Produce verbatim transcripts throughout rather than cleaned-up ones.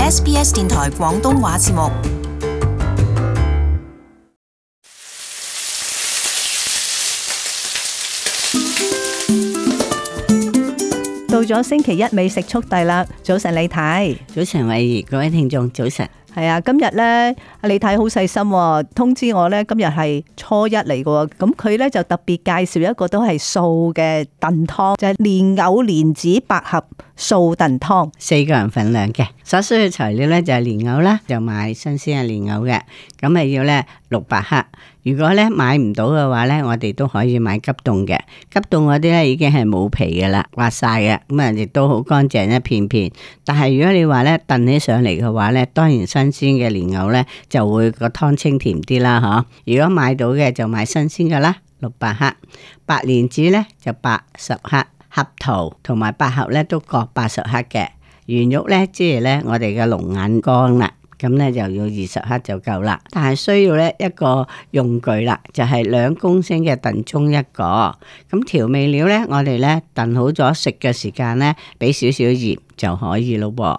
S B S 電台廣東話節目。到咗星期一美食速遞啦！早晨李太，早晨慧怡，各位聽眾早晨。係啊，今日咧阿李太好細心喎，通知我咧今日係初一嚟嘅喎，咁佢咧就特別介紹一個都係素嘅燉湯，就係蓮藕蓮子百合素燉湯，四個人份量嘅。所需嘅材料咧就係蓮藕啦，就買新鮮嘅蓮藕嘅，咁係要咧六百克。如果咧買唔到嘅話咧，我哋都可以買急凍嘅，急凍嗰啲咧已經係冇皮嘅啦，刮晒嘅，咁啊亦都好乾淨一片片。但係如果你話咧燉起上嚟嘅話咧，當然新鮮嘅蓮藕咧就會個湯清甜啲啦，嗬。如果買到嘅就買新鮮嘅啦，六百克。白蓮子咧就八十克，合桃同埋百合咧都各八十克嘅。圓肉咧即係咧我哋嘅龍眼乾啦。咁咧就要二十克就夠啦，但係需要咧一個用具啦，就係兩公升嘅燉盅一個。咁調味料咧，我哋咧燉好咗食嘅時間咧，俾少少鹽就可以咯噃。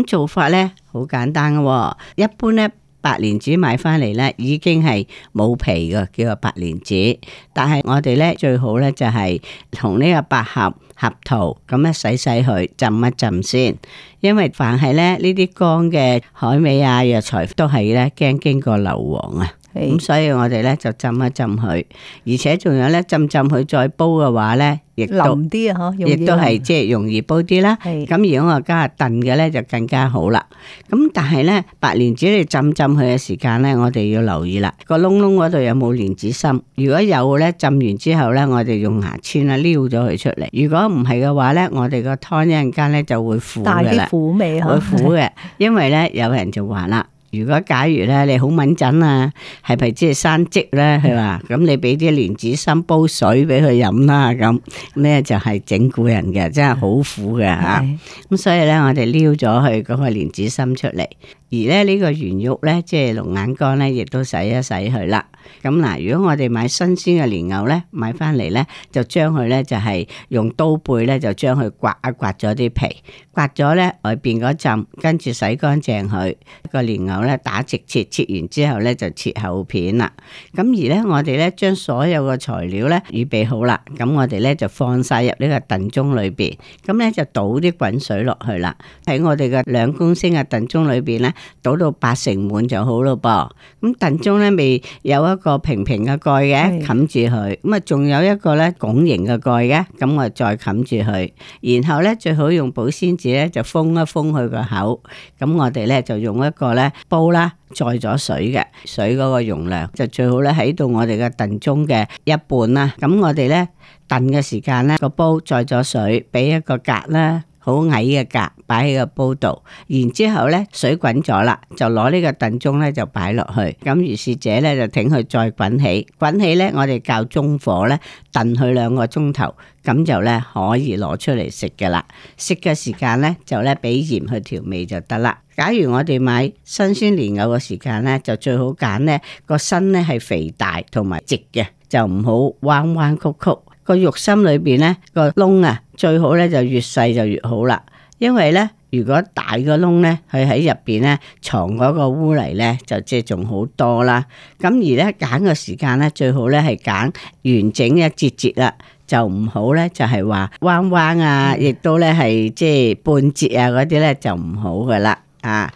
咁做法咧好簡單嘅，一般咧白蓮子買翻嚟咧已經係冇皮嘅，叫做白蓮子。但係我哋咧最好咧就係同呢個百合、合桃咁咧洗洗佢，浸一浸先。因為凡係咧呢啲乾嘅海味啊藥材都係咧驚經過硫磺啊，咁所以我哋咧就浸一浸佢，而且仲有咧浸浸佢再煲嘅話咧，亦都腍啲啊，嗬，亦都係即係容易煲啲啦。咁如果我加燉嘅咧就更加好啦。咁但係咧白蓮子你浸浸佢嘅時間咧，我哋要留意啦，個窿窿嗰度有冇蓮子心？如果有咧，浸完之後咧，我哋用牙籤啦撩咗佢出嚟。如果唔係嘅話咧，我哋個湯一陣間咧就會苦嘅啦。苦味會苦嘅，因為咧有人就話啦，如果假如咧你好敏感啊，係咪即係生積咧？佢話咁你俾啲蓮子心煲水俾佢飲啦，咁咧就係整蠱人嘅，真係好苦嘅吓。咁所以咧我哋撩咗佢嗰個蓮子心出嚟，而咧呢個圓肉咧即係龍眼乾咧，亦都洗一洗佢啦。咁嗱，如果我哋買新鮮嘅蓮藕咧，買翻嚟咧就將佢咧就係用刀背咧就將佢刮一刮咗啲皮，刮咗咧外邊嗰浸，跟住洗乾淨佢個蓮藕咧打直切，切完之後咧就切厚片啦。咁而咧我哋咧將所有嘅材料咧預備好啦，咁我哋咧就放晒入呢個燉盅裏邊，咁咧就倒啲滾水落去啦。喺我哋嘅兩公升嘅燉盅裏邊咧，倒到八成滿就好咯噃。咁燉盅咧未有一個平平嘅蓋嘅，冚住佢，咁啊仲有一個咧拱形嘅蓋嘅，咁我再冚住佢，然後咧最好用保鮮紙咧就封一封佢個口，咁我哋咧就用一個咧煲啦，載咗水嘅，水嗰個容量就最好咧喺到我哋嘅燉盅嘅一半啦，咁我哋咧燉嘅時間咧個煲載咗水，俾一個格啦。好矮嘅格擺喺個煲度，然之後咧水滾咗啦，就攞呢個燉盅咧就擺落去，咁如是者咧就挺佢再滾起，滾起咧我哋較中火咧燉佢兩個鐘頭，咁就咧可以攞出嚟食噶啦。食嘅時間咧就咧俾鹽去調味就得啦。假如我哋買新鮮蓮藕嘅時間咧，就最好揀咧個身咧係肥大同埋直嘅，就唔好彎彎曲曲。個肉心裏邊咧個窿啊，最好咧就越細就越好啦。因為咧如果大個窿咧，佢喺入邊咧藏嗰個污泥咧，就即係仲好多啦。咁而咧揀個時間咧，最好咧係揀完整一節節啦，就唔好咧就係話彎彎啊，亦都咧係即係半截啊嗰啲咧就唔好噶啦啊。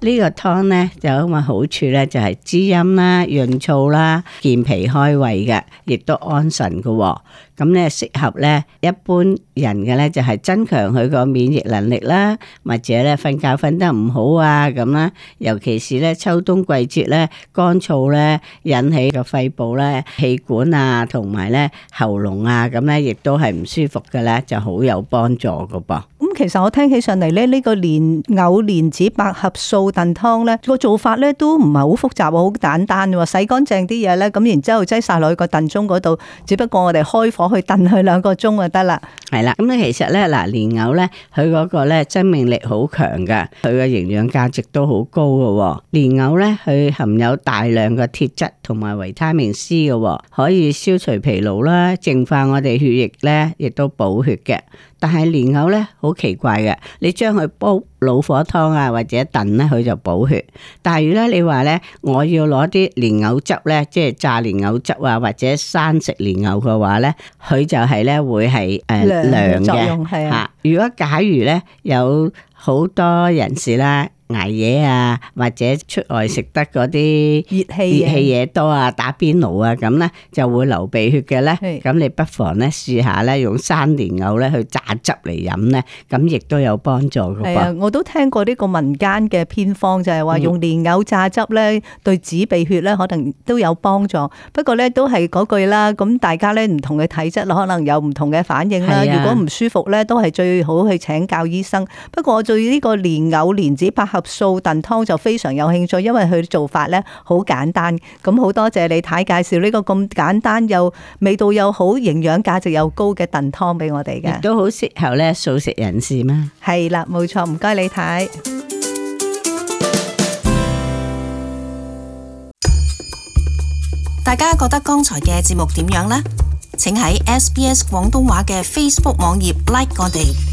呢個湯咧就有咁嘅好處咧，就係滋陰啦、潤燥啦、健脾開胃嘅，亦都安神嘅。咁咧適合咧一般人嘅咧，就係增強佢個免疫能力啦，或者咧瞓覺瞓得唔好啊咁啦。尤其是咧秋冬季節咧乾燥咧引起個肺部咧氣管啊同埋咧喉嚨啊咁咧，亦都係唔舒服嘅咧，就好有幫助嘅噃。咁其實我聽起上嚟咧，呢個蓮藕蓮子百合素燉湯咧個做法咧都唔係好複雜，好簡單喎。洗乾淨啲嘢咧，咁然之後擠晒落去個燉盅嗰度，只不過我哋開火去燉佢兩個鐘就得啦。係啦，咁咧其實咧嗱，蓮藕咧佢嗰個咧生命力好強噶，佢嘅營養價值都好高噶。蓮藕咧佢含有大量嘅鐵質同埋維他命 C 嘅，可以消除疲勞啦，淨化我哋血液咧，亦都補血嘅。但係蓮藕咧好奇怪嘅，你將佢煲老火湯啊或者燉咧，佢就補血。但係如果你話咧，我要攞啲蓮藕汁咧，即係炸蓮藕汁啊或者生食蓮藕嘅話咧，佢就係咧會係誒涼嘅吓。如果假如咧有好多人士啦，捱夜啊，或者出外食得嗰啲熱氣熱氣嘢多啊，打邊爐啊，咁咧就會流鼻血嘅咧。咁你不妨咧試下咧用生蓮藕咧去榨汁嚟飲咧，咁亦都有幫助嘅噃。係啊，我都聽過呢個民間嘅偏方，就係話用蓮藕榨汁咧，對止鼻血咧可能都有幫助。不過咧都係嗰句啦，咁大家咧唔同嘅體質可能有唔同嘅反應啦。如果唔舒服咧，都係最好去請教醫生。不過我對呢個蓮藕蓮子百合素燉湯就非常有興趣，因為佢做法咧好簡單。咁好多謝李太介紹呢個咁簡單又味道又好、營養價值又高嘅燉湯俾我哋嘅，亦都好適合咧素食人士嘛。係啦，冇錯，唔該李太。大家覺得剛才嘅節目點樣呢？請喺 S B S 廣東話嘅 Facebook 網頁 like 我哋。